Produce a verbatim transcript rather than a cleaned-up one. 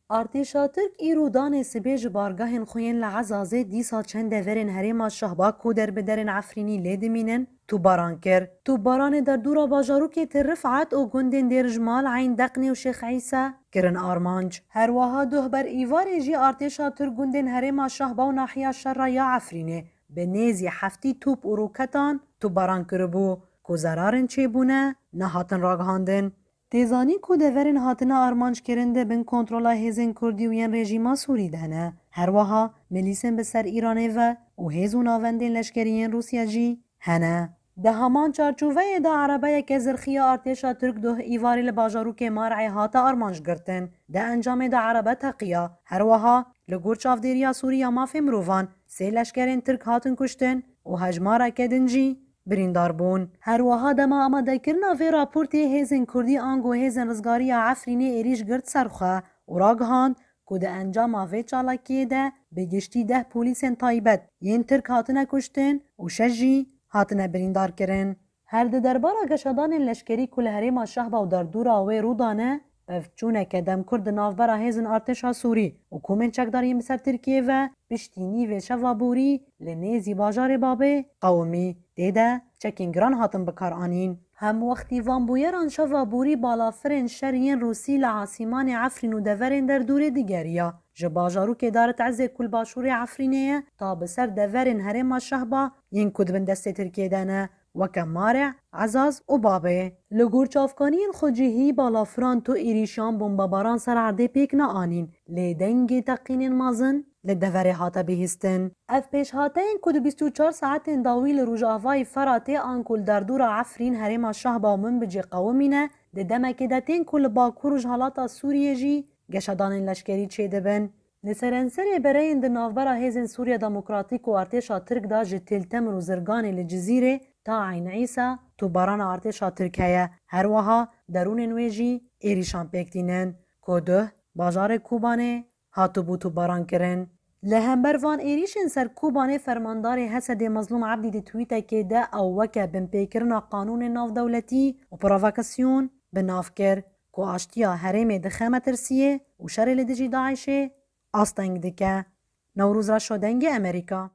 Artêşa Tirk îro danê sibê ji bargahên xwe yên li Ezazê dîsa çend deverên herêma Şehba ku derbiderên Efrînî lê dimînin, tûbaran kir. Tûbaranê derdora bajarokê Til Rifat û gundên Dêr Jmal, Eyn Deqnê û Şêx Îsa kirin armanc. Her wiha duh ber îvarê jî artêşa Tirk gundên herêma Şehba û nahiya Şerra ya Efrînê bi nêzî heftî top û roketan tûbaran kiribû ku zerarên çêbûne nehatin ragihandin. Tê zanîn ku deverên hatine armanckirin di bin kontrola hêzên Kurdî û yên rejîma Sûrî de ne. Her wiha milîsên bi ser Îranê ve û hêz û navendên leşkerî yên Rûsya jî hene. Di heman çarçoveyê de erebeyeke zirxî ya artêşa Tirk duh îvarê li bajarokê Mar'ê hate armanc girtin. Di encamê de erebe teqiya. Her wiha li gor çavdêriya Sûrî ya mafê mirovan sê leşkerên Tirk hatin kuştin û hejmareke din jî birîndar bûn. Her wiha dema amadekirina vê raportê hêzên Kurdî ango hêzên rizgariya Efrînê êrîş girt ser xwe û ragihand ku di encama vê çalakiyê de bi giştî deh polîsên taybet yên Tirk hatine kuştin û şeş jî hatine birîndar kirin. Her di derbara geşedanên leşkerî ku li herêma Şehba û derdora wê rû dane, pevçûneke demkurt di navbera hêzên artêşa Sûrî û komên çekdar yên bi ser Tirkiyê ve piştî nîvê şeva borî li nêzî bajarê Babê qewimî. Tê de çekên giran hatin bikaranîn. Hemwextî van bûyeran şeva borî balafirên şer yên Rûsî li asîmanê Efrîn û deverên derdorê digeriya. Ji bajarokê Darit Ezê ku li başûrê Efrînê ye ta bi ser deverên herêma Şehba yên ku di bin destê Tirkiyê de ne, weke Mare, Ezaz û Babê. Li gor çavkaniyên xwecihî balafiran tu êrîşan bombebaran ser erdê pêk neanîn, lê dengê teqînên mezin li deverê hate bihîstin. Ev pêşhateyên ku di bîst û çar saetên dawî li rojavayî Feratê anku li derdora Efrîn herêma Şehba û Minbicê qewimîne, di demekê de tên ku li bakur rojhilata Sûriyê jî geşedanên leşkerî çêdibin. Li serenserê bereyên di navbera Hêzên Sûriya Demokratîk û Artêşa Tirk de ji Til Temir û Zirganê li Cizîrê ta Eyn Îsa tûbarana artêşa Tirk heye. Her wiha derûnên wê jî êrîşan pêk tînin ku duh bajarê Kobanê hatibû tûbaran kirin. Li hember van êrîşên ser Kobanê fermandarê Hesedê Mezlûm Ebdî di twîtekê de ew weke binpêkirina qanûnên navdewletî û provokasyon bi nav kir ku aştiya herêmê dixe metirsiyê û şerê li dijî DAIŞê asteng dike. Newroz Reşo, Dengê Amerîka.